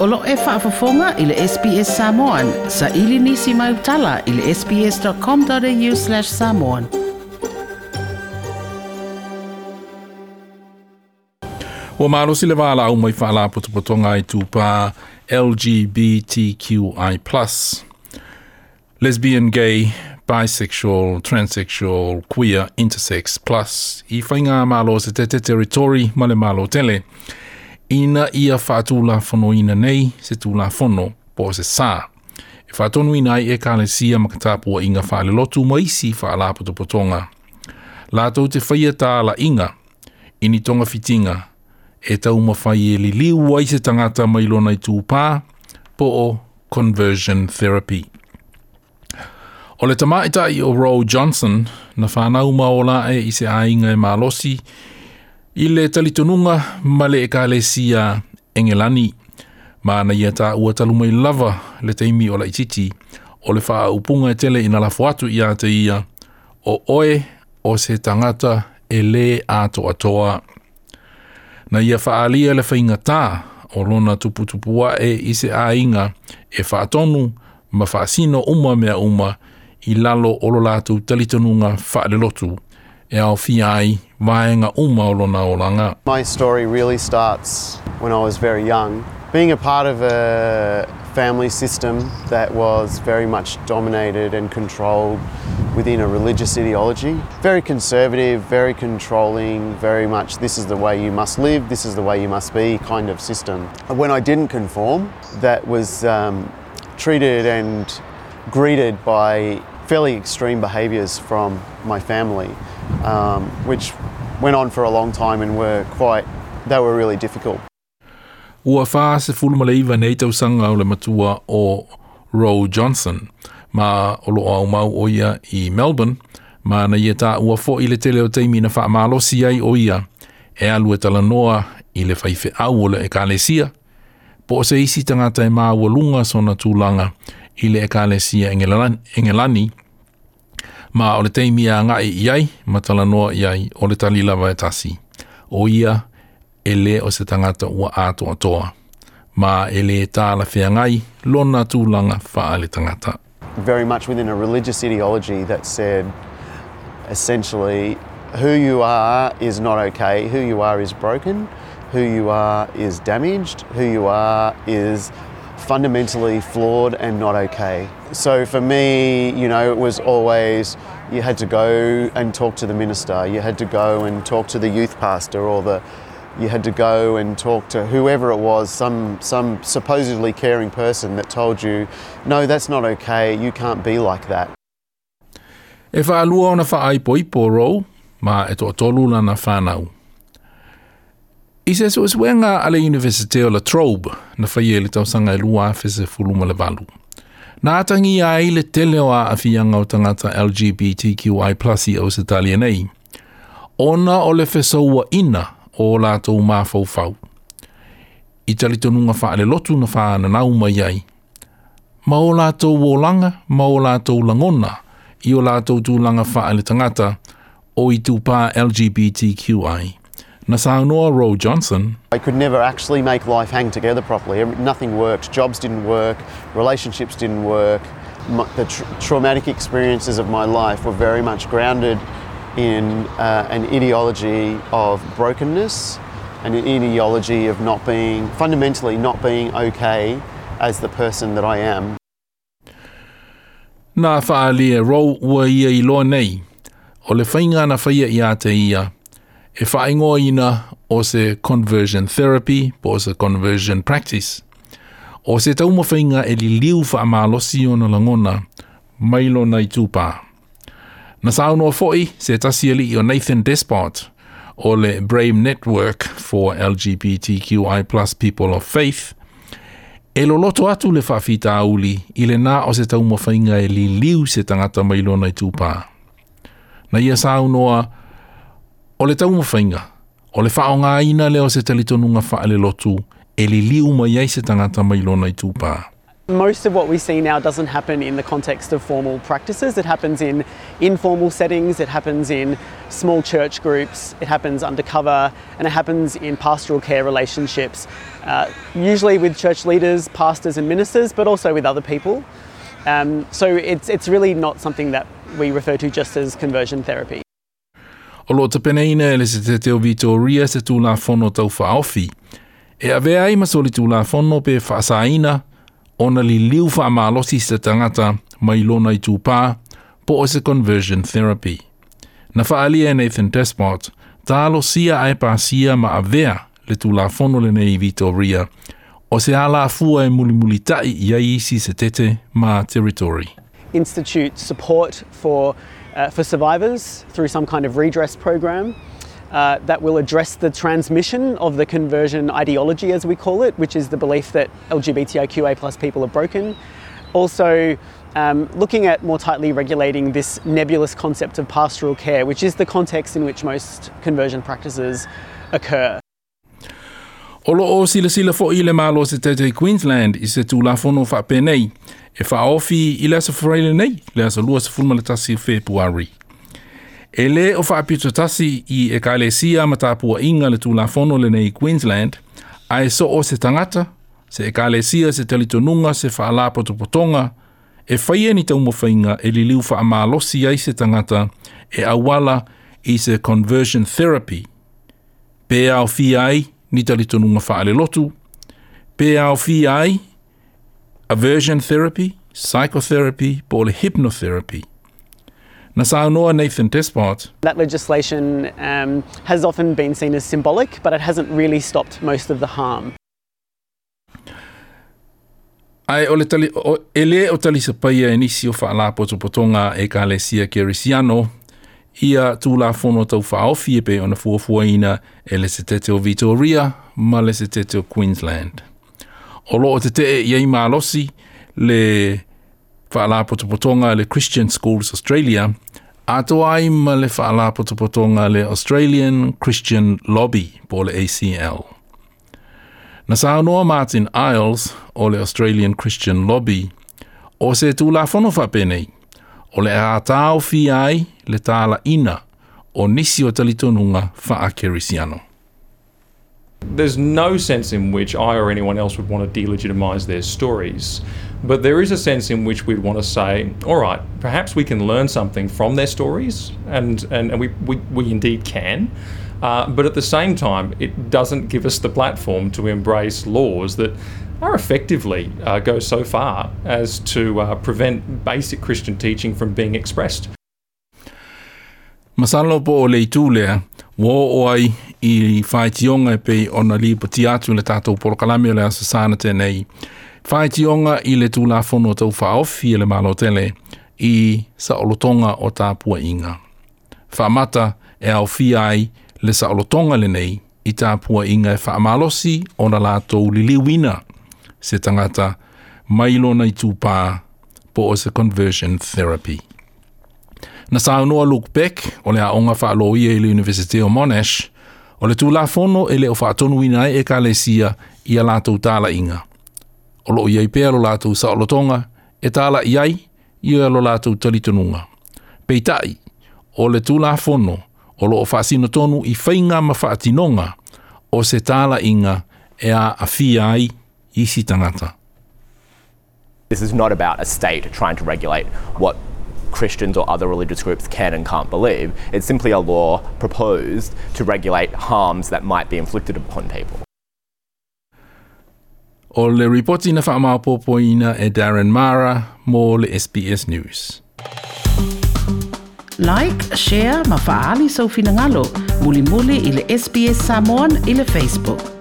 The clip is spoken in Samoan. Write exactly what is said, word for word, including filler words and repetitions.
O lo e faafofoga i le S B S Samoan, sa ili nisi mai utala i le sbs.com.au slash samoan. Ua malosi le valaau mai faalapotopotoga i tupā L G B T Q I plus, lesbian, gay, bisexual, transsexual, queer, intersex plus, i whainga malo se te te territori ma le malo tele. Ina ia whaatula fono ina nei se tula fono po se sa. E whaatonu ina ai e kalesia makatapua inga whaalelotu maisi whaalapotopotonga. Lātou te whaia tāla inga, ini tonga fitinga, e tau mawhai e liliu ai se tangata mai lona i tūpā, po o conversion therapy. O le tamaitai o Roe Johnson, na whanau maola e i se ainga e malosi, i le talitonunga ma le ekalesia Engelani. Ma na ia tā ua talumai lava le teimi o la ititi, o le whaaupunga e tele ina lafo atu i a te ia, o oe o se tangata e le ato atoa. Na ia whaalia le whainga tā o lona tuputupua e i se ainga e whaatonu ma whaasino uma mea uma i lalo o lo lātou talitonunga whaalelotu e au whiai vaenga uma o lona olanga. My story really starts when I was very young. Being a part of a family system that was very much dominated and controlled within a religious ideology. Very conservative, very controlling, very much this is the way you must live, this is the way you must be kind of system. When I didn't conform, that was um, treated and greeted by fairly extreme behaviours from my family, um, which went on for a long time and were quite, they were really difficult. Ua wha se fulu nei tausanga o le matua o Roe Johnson, ma o lo au mau o ia i Melbourne, ma na ia tā ua fo i le tele o teimi na wha malosi ai o ia, e alu e talanoa i le whaiwhe au o le ekalesia, po o se isi tangata e maa lunga sona tūlanga i le ekalesia Engelani, ma o le teimi a ngai i ai, ma talanoa i ai o le talilawa e tasi. O ia e le o se tangata ua atoa atoa, ma e le tāla whiangai lona tūlanga whaale tangata. Very much within a religious ideology that said, essentially, who you are is not okay, who you are is broken, who you are is damaged, who you are is fundamentally flawed and not okay. So for me, you know, it was always, you had to go and talk to the minister, you had to go and talk to the youth pastor, or the, you had to go and talk to whoever it was, some, some supposedly caring person that told you, no, that's not okay, you can't be like that. E whaalua ona whaaipoipo Roe, ma e toatolu lana whanau. I se suesuenga a le Universite o La Trobe, na whaie le tausanga e lua afe se fulu ma le valu. Nā atangi ai le tele o a awhianga o tangata L G B T Q I plus i Ausitalia nei. Ona o le fesaua ina o lātou māwhauwhau. I talitonunga whaale lotu na whaananau mai ai. Ma o lātou olanga, ma o lātou langona, i o lātou tūlanga whaale tangata o i tūpā L G B T Q I. Na saunoa Roe Johnson. I could never actually make life hang together properly. Nothing worked. Jobs didn't work. Relationships didn't work. My, the tra- traumatic experiences of my life were very much grounded in uh, an ideology of brokenness and an ideology of not being, fundamentally not being okay as the person that I am. Nā whaalia Roe ua ia i loa nei, o le whainga na whaia i a te ia, e whaingoa ina o se conversion therapy, po o se conversion practice. O se tauma whainga e liliu wha malosi o na langona, mai lona i tūpā. Na saunoa foi se tasi ali o Nathan Despot o le Brave Network for L G B T Q I plus People of Faith, e loloto atu le whaafita auli i le nā o se tauma whainga e liliu se tangata mai lona i tūpā. Na ia saunoa o le tauma whainga, o le whaonga ina leo se talitonunga whaale lotu e liliu mai ai se tangata mai lona i tūpā. Most of what we see now doesn't happen in the context of formal practices. It happens in informal settings, it happens in small church groups, it happens undercover, and it happens in pastoral care relationships, uh, usually with church leaders, pastors and ministers, but also with other people. Um, so it's, it's really not something that we refer to just as conversion therapy. O lo tapenaina e le Setete o Vitoria se Tulafono Taufaaofi. E avea ai ma soli Tulafono pe faasaina ona liliu faamalosi se tagata mai lona itupā po o se conversion therapy. Na faalia e Nathan Despot, talosia ae pasia ma avea le Tulafono lenei i Vitoria, o se alafua e mulimulita'i i ai isi Setete ma Territory. Institute support for, uh, for survivors through some kind of redress program uh, that will address the transmission of the conversion ideology, as we call it, which is the belief that L G B T I Q A plus people are broken. Also, um, looking at more tightly regulating this nebulous concept of pastoral care, which is the context in which most conversion practices occur. O lo o sila sila fo i le malo se tete Queensland i se tulafono faapenei e faaofi i le aso Faraile nei, le aso lua sefulu ma le tasi o Fepuari. E le o faapito tasi i ekalesia ma tapuaʻiga le Tulafono lenei i Queensland, ae so o se tagata, se ekalesia se talitonuga se faalapotopotoga, e faia ni taumafaiga e liliu faamalosi ai se tagata e auala i se conversion therapy, pe aofia ai ni talitonuga faalelotu, pe aofia ai aversion therapy, psychotherapy, po o le hypnotherapy. Na saunoa Nathan Despot. That legislation um, has often been seen as symbolic, but it hasn't really stopped most of the harm. Ai o le tali, o, e le o talisapaia e nisi o faalapotopotoga ekalesia Kerisiano ia Tulafono Taufaaofi e pei ona fuafuaina e le Setete o Vitoria ma le Setete o Queensland. O loo tetee i ai malosi le faalapotopotoga le Christian Schools Australia, atoa ai ma le faalapotopotoga le Australian Christian Lobby po le A C L. Na saunoa Martin Iles o le Australian Christian Lobby o se Tulafono faapenei o le ataofia ai le talaina o nisi o talitonuga faakerisiano. There's no sense in which I or anyone else would want to delegitimise their stories, but there is a sense in which we'd want to say, all right, perhaps we can learn something from their stories, and, and, and we, we, we indeed can, uh, but at the same time, it doesn't give us the platform to embrace laws that are effectively uh, go so far as to uh, prevent basic Christian teaching from being expressed. Masalo po o le itu lea, ua oo ai i faitioga e pei ona lipotia atu le tatou polokalame o le aso sana tenei. Faitioga i le Tulafono Taufaaofi e le Malo tele i saolotoga o tapuaʻiga. Faamata e aofia ai le saolotoga lenei i tapuaʻiga e faamalosi ona latou liliuina se tagata mai lona itupā po o se conversion therapy. Na saunoa Luke Beck o le aoga faaloia i le University o Monash o le Tulafono e le o faatonuina ai ekalesia ia latou talaʻiga. O loo iai pea lo latou saolotoga e talaʻi ai ia lo latou talitonuga. Peitaʻi o le Tulafono o loo faasinotonu i faiga ma faatinoga o se talaʻiga e aafia ai isi tagata. This is not about a state trying to regulate what Christians or other religious groups can and can't believe. It's simply a law proposed to regulate harms that might be inflicted upon people. O le ripoti na faamaopoopoina e Darren Mara mo le S B S News. Like, share, ma faali sau finagalo. Mulimuli i le S B S Samoan i le Facebook.